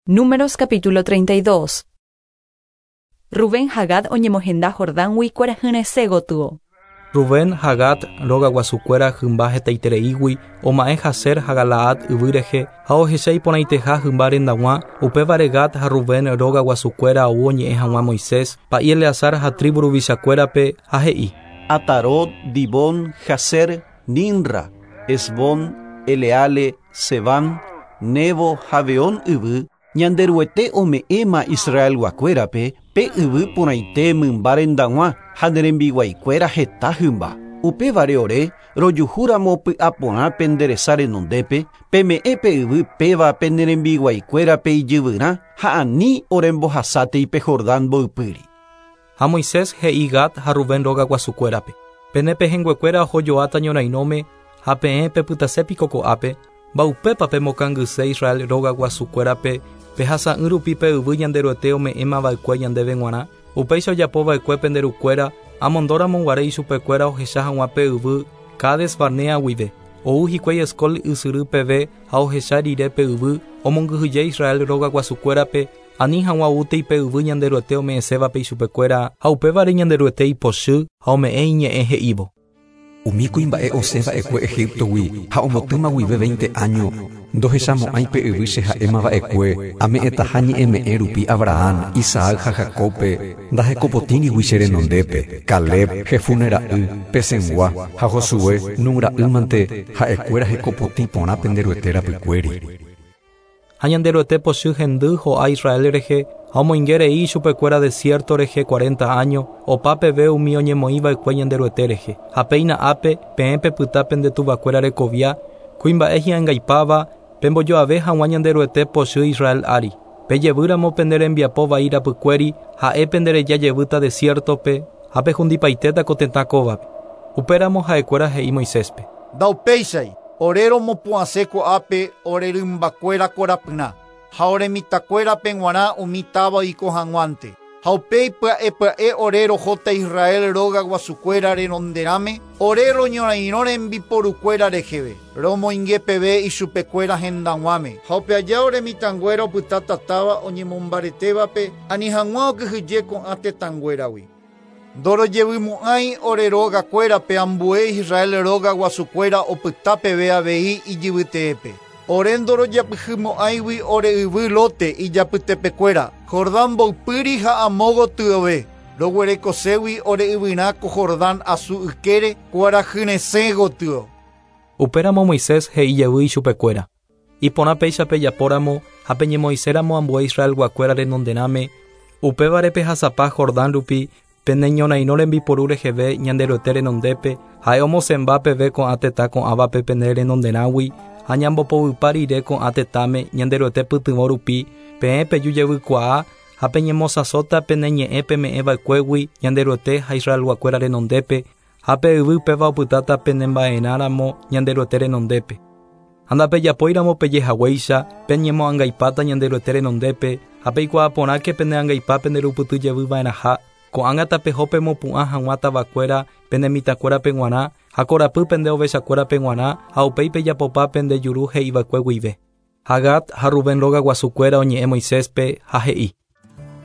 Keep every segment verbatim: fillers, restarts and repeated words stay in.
Números capítulo treinta y dos. Rubén ha Gad oñemohenda Jordángui kuarahyresẽ gotyo. Rubén ha Gad rogaguasukuéra hymba hetaitereígui oma'ẽ Jazer ha Galaad yvy rehe ha ohecha iporãiteha hymba rendag̃ua, upévare Gad ha Rubén rogaguasukuéra ou oñe'ẽ hag̃ua Moisés, pa'i Eleazar ha tribu ruvichakuérape ha he'i: Atarot, Dibón, Jazer, Nimra, Hesbón, Eleale, Sebam, Nebo ha Beón yvy, Ñanderuete ome'ẽma Israelguakuérape pe yvy porãite mymba rendag̃ua ha ne rembiguaikuéra heta hymba. Upévare ore rojuhúramo py'aporã pende resa renondépe, peme'ẽ pe yvy péva pene rembiguaikuérape ijyvyrã ha ani orembohasátei pe Jordán mboypýri. Ha Moisés he'i Gad ha Rubén rogaguasukuérape: Pene pehẽnguekuéra ohojoáta ñorairõme ha peẽ pepytasépiko ko'ápe, mba'upépa pemokangyse Israel rogaguasukuérape pehasa'ỹ rupi pe yvy Ñanderuete ome'ẽmava'ekue ñandéve g̃uarã, upéicha ojapova'ekue pende rukuéra amondóramo guare ichupekuéra ohecha hag̃ua pe yvy Cades Barnea guive. Ou hikuái Escol ysyry peve ha ohecha rire pe yvy omongyhyje Israel rogaguasukuérape ani hag̃ua oútei pe yvy Ñanderuete ome'ẽsévape ichupekuéra ha upévare Ñanderuete ipochy ha ome'ẽ iñe'ẽ he'ívo: Umi kuimba'e osẽva'ekue Egiptogui ha ombotýma guive veinte año ndohechamo'ãi pe yvy che ha'emava'ekue ame'ẽtaha ñe'ẽme'ẽ rupi Abraham, Isaac ha Jacobpe ndahekopotĩrigui che renondépe. Caleb, Jefune ra'y, pe Cengua ha Josué, Nun ra'ýmante ha'ekuéra hekopotĩ porã pende Ruete rapykuéri. Ha Ñanderuete pochy hendy ho'a Israel rehe ha omoinge rei ichupekuéra desierto rehe cuarenta año opa peve umi oñemoĩva'ekue Ñanderuete rehe. Ha péina ápe peẽ pepyta pende tuvakuéra rekovia kuimba'e hi'angaipáva pembojoave hag̃ua Ñanderuete pochy Israel ári. Pejevýramo pende rembiapo vai rapykuéri ha'e pendereja jevýta desiertope ha pehundipaitéta ko tetã kóvape. Upéramo ha'ekuéra he'i Moiséspe: Ndaupéichai, ore romopu'ãse ko'ápe ore rymbakuéra korapyrã ha ore mitãkuérape g̃uarã umi táva oiko hag̃uánte. Ha upéi pya'e pya'e ore rohóta Israel rogaguasukuéra renonderãme ore roñorairõ rembiporukuéra reheve romoinge peve ichupekuéra hendag̃uáme. Ha upe aja ore mitãnguéra opytáta táva oñemombaretévape ani hag̃ua okyhyje ko'ã tetãnguéragui. Ndorojevymo'ãi ore rogakuérape ambue Israel rogaguasukuéra opyta peve avei ijyvyteépe. Ore ndorojapyhymo'ãigui ore yvy lote ijapytepekuéra Jordán mboypýri ha amo gotyove roguerekoségui ore yvyrã ko Jordán asu ykére kuarahyresẽ gotyo. Upéramo Moisés he'i jevy ichupekuéra: Iporã péicha pejapóramo ha peñemoĩséramo ambue Israelguakuéra renonderãme, upévare pehasapa Jordán rupi pene ñorairõ rembiporu reheve Ñanderuete renondépe ha'e omosẽmba peve ko'ã tetã ko'ãvape pene renonderãgui ha ñambopovypa rire ko'ã tetãme Ñanderuete pytyvõ rupi peẽ peju jevykuaa ha peñemosãsóta pene ñe'ẽ peme'ẽva'ekuégui Ñanderuete ha Israelguakuéra renondépe ha pe yvy péva opytáta penemba'erãramo Ñanderuete renondépe. Ha ndapejapóiramo pejehaguéicha peñemoangaipáta Ñanderuete renondépe ha peikuaa porãke pene angaipa penderupyty jevyva'erãha. Ko'ág̃a tapeho pemopu'ã hag̃ua tavakuéra pene mitãkuérape g̃uarã ha korapy pende ovechakuérape g̃uarã ha upéi pejapopa pende juru he'iva'ekue guive. Ha Gad ha Rubén rogaguasukuéra oñe'ẽ Moiséspe ha he'i: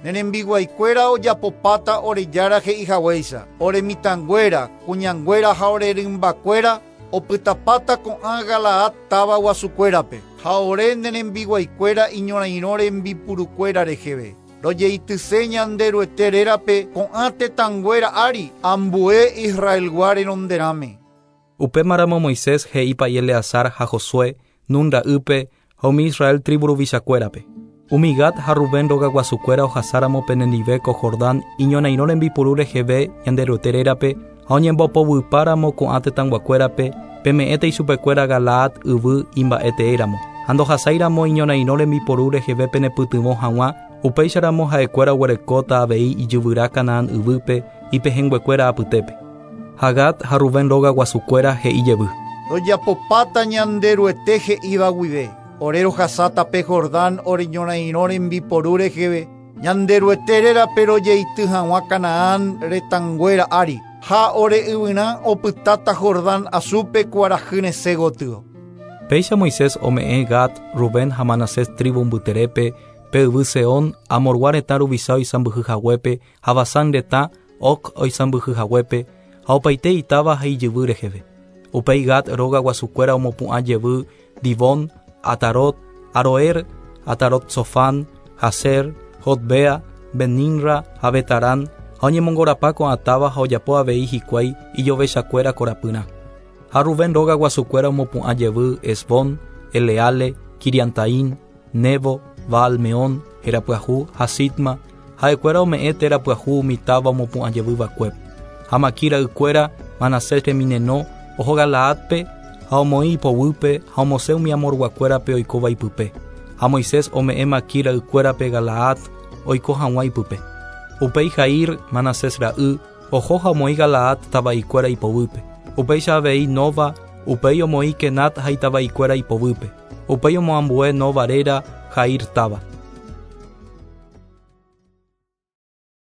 Ne rembiguaikuéra ojapopáta ore jára he'ihaguéicha. Ore mitãnguéra, kuñanguéra ha ore rymbakuéra opytapáta ko'ã Galaad táva guasukuérape ha ore ne rembiguaikuéra iñorairõ rembipurukuéra reheve. Rojeityse Ñanderuete rérape ko'ã tetãnguéra ári ambue Israelgua renonderãme. Upémaramo Moisés he'i pa'i Eleazar ha Josué, Nun ra'ýpe ha umi Israel tribu ruvichakuérape: Umi Gad ha Rubén rogaguasukuéra ohasáramo penendive ko Jordán iñorairõ rembipuru reheve Ñanderuete rérape ha oñembopovypáramo ko'ã tetãnguakuérape peme'ẽta ichupekuéra Galaad yvy imba'eteéramo ha ndohasáiramo iñorairõ rembiporu reheve penepytyvõ hag̃ua upéicharamo ha'ekuéra oguerekóta avei ijyvyrã Canaán yvýpe ipehẽnguekuéra apytépe. Ha Gad ha Rubén rogaguasukuéra he'i jevy: Rojapopáta Ñanderuete he'íva guive. Ore rohasáta pe Jordán ore ñorairõ rembiporu reheve Ñanderuete rérape rojeity hag̃ua Canaán retãnguéra ári ha ore yvyrã opytáta Jordán asúpe kuarahyresẽ gotyo. Péicha Moisés ome'ẽ Gad, Rubén ha Manasés tribu mbyterépe Pe yvy Seón, Amorgua retã ruvicha oisãmbyhy haguépe ha Basán retã Og oisãmbyhy haguépe ha opaite itáva ha ijyvy reheve. Upéi Gad róga guasukuéra omopu'ã jevy Dibón, Atarot, Aroer, Atarot Sofán, Jazer, Jotbea, Beninra ha Betarán ha oñemongorapa ko'ã táva ha ojapo avei hikuái ijovechakuéra korapyrã. Ha Rubén róga guasukuéra omopu'ã jevy Hesbón, Eleale, Kiriantaín, Nebo, Baal-Meón, Herapyahu ha Sitma, ha'ekuéra ome'ẽ téra pyahu umi táva omopu'ã jevyva'ekuépe. Ha Makir ra'ykuéra Manasés remineno oho Galaádpe ha omoĩ ipoguýpe ha omosẽ umi Amorguakuérape oikóva ipype. Ha Moisés ome'ẽ Makir ra'ykuérape Galaad oiko hag̃ua ipype. Upéi Jair, Manasés ra'y, oho ha omoĩ Galaad tava'ikuéra ipoguýpe. Upéicha avei Nova, upéi omoĩ Kenat ha itava'ikuéra ipoguýpe. Upéi omoambue Nova réra Jair táva.